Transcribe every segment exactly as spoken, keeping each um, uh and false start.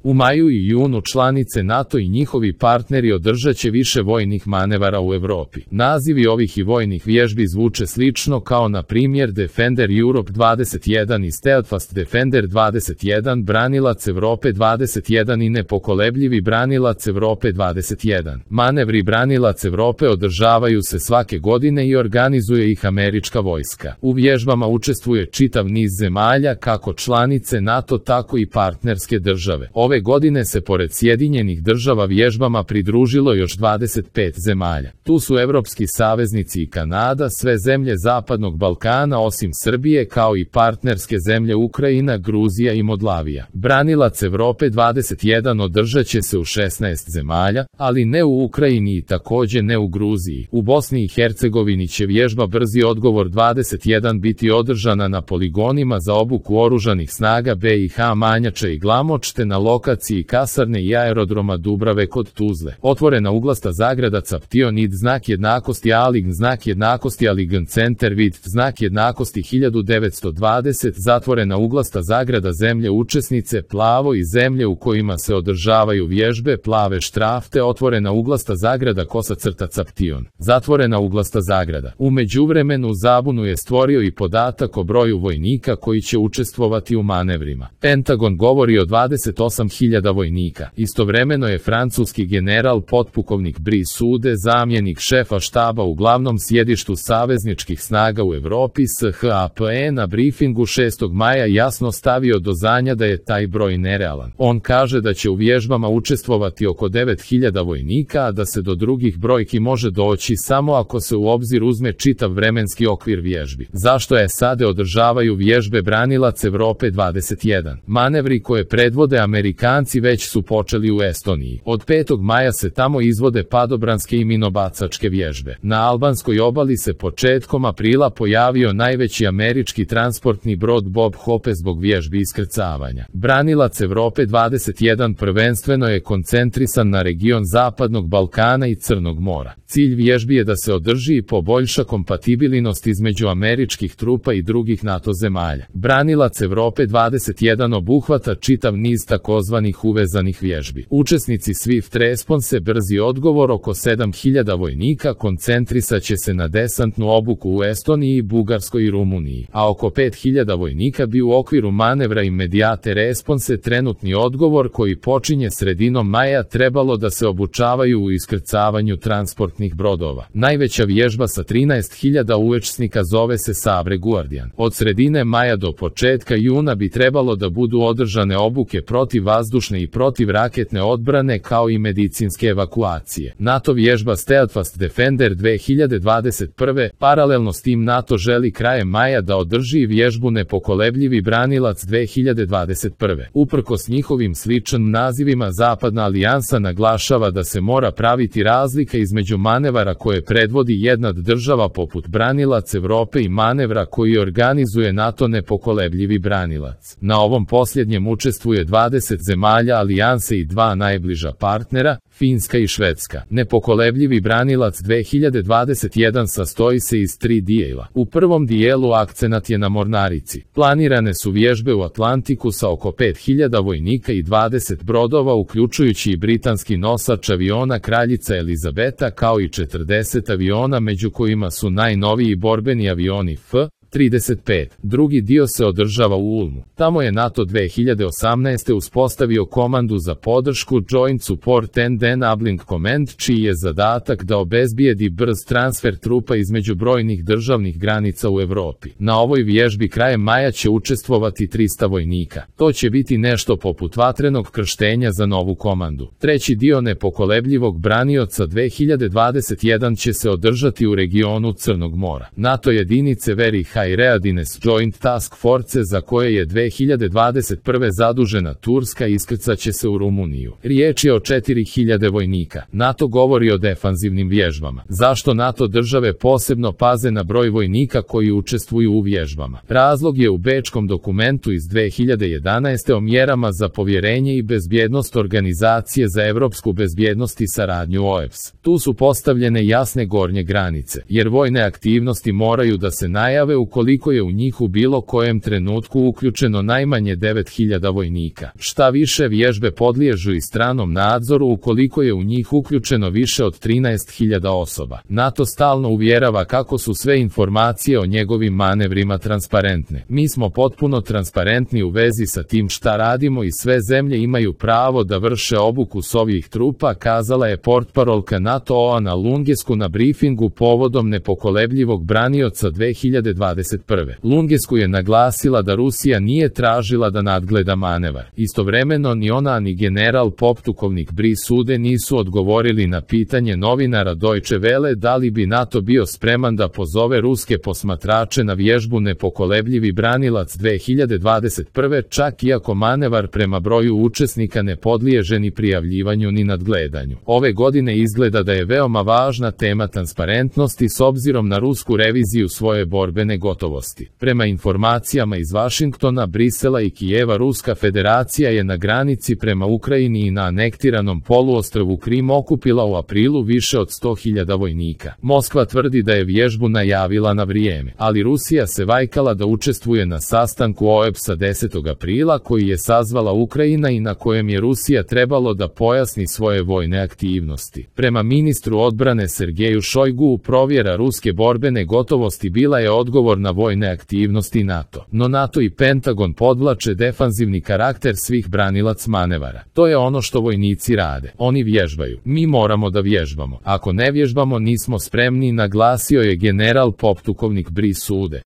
U maju i junu članice NATO i njihovi partneri održat će više vojnih manevara u Evropi. Nazivi ovih i vojnih vježbi zvuče slično kao na primjer Defender Europe dvadeset jedan i Steadfast Defender dvadeset jedan, Branilac Evrope dvadeset jedan i Nepokolebljivi Branilac Evrope dvadeset jedan. Manevri Branilac Evrope održavaju se svake godine i organizuje ih američka vojska. U vježbama učestvuje čitav niz zemalja, kako članice NATO tako i partnerske države. Ove godine se pored Sjedinjenih država vježbama pridružilo još dvadeset pet zemalja. Tu su evropski saveznici i Kanada, sve zemlje Zapadnog Balkana osim Srbije, kao i partnerske zemlje Ukrajina, Gruzija i Moldavija. Branilac Evrope dvadeset jedan održat će se u šesnaest zemalja, ali ne u Ukrajini i također ne u Gruziji. U Bosni i Hercegovini će vježba Brzi odgovor dvadeset jedan biti održana na poligonima za obuku oružanih snaga B i H Manjača i Glamoč, te na lokaciji kasarne i aerodroma Dubrave kod Tuzle. Otvorena uglasta zagrada Captionid znak jednakosti Align znak jednakosti Align Center vid znak jednakosti hiljadu devetsto dvadeset, zatvorena uglasta zagrada zemlje učesnice plavo i zemlje u kojima se održavaju vježbe plave štrafte, otvorena uglasta zagrada kosa crta Caption, zatvorena uglasta zagrada. U međuvremenu zabunu je stvorio i podatak o broju vojnika koji će učestvovati u manevrima. Pentagon govori o dvadeset osam hiljada vojnika. Istovremeno je francuski general potpukovnik Brice Sude, zamjenik šefa štaba u glavnom sjedištu savezničkih snaga u Evropi S H A P E na briefingu šestog maja jasno stavio do znanja da je taj broj nerealan. On kaže da će u vježbama učestvovati oko devet hiljada vojnika, a da se do drugih brojki može doći samo ako se u obzir uzme čitav vremenski okvir vježbi. Zašto je S A D održavaju vježbe Branilac Evrope dvadeset jedan? Manevri koje predvode Amerikanci već su počeli u Estoniji. Od petog maja se tamo izvode padobranske i minobacačke vježbe. Na albanskoj obali se početkom aprila pojavio najveći američki transportni brod Bob Hope zbog vježbi iskrcavanja. Branilac Evrope dvadeset jedan prvenstveno je koncentrisan na region Zapadnog Balkana i Crnog mora. Cilj vježbi je da se održi i poboljša kompatibilnost između američkih trupa i drugih NATO zemalja. Branilac Evrope dvadeset jedan obuhvata čitav niz takozvanih uvezanih vježbi. Učesnici Swift Response brzi odgovor oko sedam hiljada vojnika koncentrisat će se na desantnu obuku u Estoniji, Bugarskoj i Rumuniji, a oko pet hiljada vojnika bi u okviru manevra Immediate Response trenutni odgovor koji počinje sredinom maja trebalo da se obučavaju u iskrcavanju transportnih brodova. Najveća vježba sa trinaest hiljada učesnika zove se Sabre Guardian. Od sredine maja do početka juna bi trebalo da budu održane obuke protiv vazdušne i protiv raketne odbrane kao i medicinske evakuacije. NATO vježba Steadfast Defender dve hiljade dvadeset prve. Paralelno s tim NATO želi krajem maja da održi vježbu Nepokolebljivi Branilac dve hiljade dvadeset prve. Uprkos njihovim sličnim nazivima, Zapadna alijansa naglašava da se mora praviti razlika između manevara koje predvodi jedna država poput Branilac Evrope i manevra koji organizuje NATO Nepokolebljivi Branilac. Na ovom posljednjem učestvuje dvadeset zemalja alijanse i dva najbliža partnera, Finska i Švedska. Nepokolebljivi Branilac dve hiljade dvadeset jedan sastoji se iz tri dijela. U prvom dijelu akcenat je na mornarici. Planirane su vježbe u Atlantiku sa oko pet hiljada vojnika i dvadeset brodova, uključujući i britanski nosač aviona Kraljica Elizabeta kao i četrdeset aviona, među kojima su najnoviji borbeni avioni F trideset pet. Drugi dio se održava u Ulmu. Tamo je NATO dve hiljade osamnaeste. uspostavio komandu za podršku Joint Support and Enabling Command, čiji je zadatak da obezbijedi brz transfer trupa između brojnih državnih granica u Evropi. Na ovoj vježbi krajem maja će učestvovati trista vojnika. To će biti nešto poput vatrenog krštenja za novu komandu. Treći dio Nepokolebljivog branioca dve hiljade dvadeset jedan će se održati u regionu Crnog mora. NATO jedinice Very High Readiness Joint Task Force, za koje je dve hiljade dvadeset prve zadužena Turska, iskrcat će se u Rumuniju. Riječ je o četiri hiljade vojnika. NATO govori o defanzivnim vježbama. Zašto NATO države posebno paze na broj vojnika koji učestvuju u vježbama? Razlog je u bečkom dokumentu iz dve hiljade jedanaeste. o mjerama za povjerenje i bezbjednost Organizacije za evropsku bezbjednost i saradnju O E B S. Tu su postavljene jasne gornje granice, jer vojne aktivnosti moraju da se najave u ukoliko je u njih u bilo kojem trenutku uključeno najmanje devet hiljada vojnika. Šta više, vježbe podliježu i stranom nadzoru ukoliko je u njih uključeno više od trinaest hiljada osoba. NATO stalno uvjerava kako su sve informacije o njegovim manevrima transparentne. Mi smo potpuno transparentni u vezi sa tim šta radimo i sve zemlje imaju pravo da vrše obuku svojih trupa, kazala je portparolka NATO Ana Lungescu na brifingu povodom nepokolebljivog branioca dve hiljade dvadeset prve. Lungescu je naglasila da Rusija nije tražila da nadgleda manevar. Istovremeno ni ona ni general poptukovnik Brisude nisu odgovorili na pitanje novinara Deutsche Welle da li bi NATO bio spreman da pozove ruske posmatrače na vježbu nepokolebljivi branilac dve hiljade dvadeset prve, čak iako manevar prema broju učesnika ne podliježe ni prijavljivanju ni nadgledanju. Ove godine izgleda da je veoma važna tema transparentnosti s obzirom na rusku reviziju svoje borbene gotovosti. Prema informacijama iz Vašingtona, Brisela i Kijeva, Ruska federacija je na granici prema Ukrajini i na anektiranom poluostrvu Krim okupila u aprilu više od sto hiljada vojnika. Moskva tvrdi da je vježbu najavila na vrijeme, ali Rusija se vajkala da učestvuje na sastanku O E B S-a desetog aprila koji je sazvala Ukrajina i na kojem je Rusija trebalo da pojasni svoje vojne aktivnosti. Prema ministru odbrane Sergeju Šojgu, provjera ruske borbene gotovosti bila je odgovor na vojne aktivnosti NATO. No NATO i Pentagon podvlače defanzivni karakter svih branilac manevara. To je ono što vojnici rade. Oni vježbaju. Mi moramo da vježbamo. Ako ne vježbamo, nismo spremni, naglasio je general poptukovnik Brisude.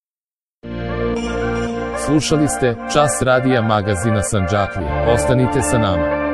Slušali ste Čas radija magazina Sandžaklija. Ostanite sa nama.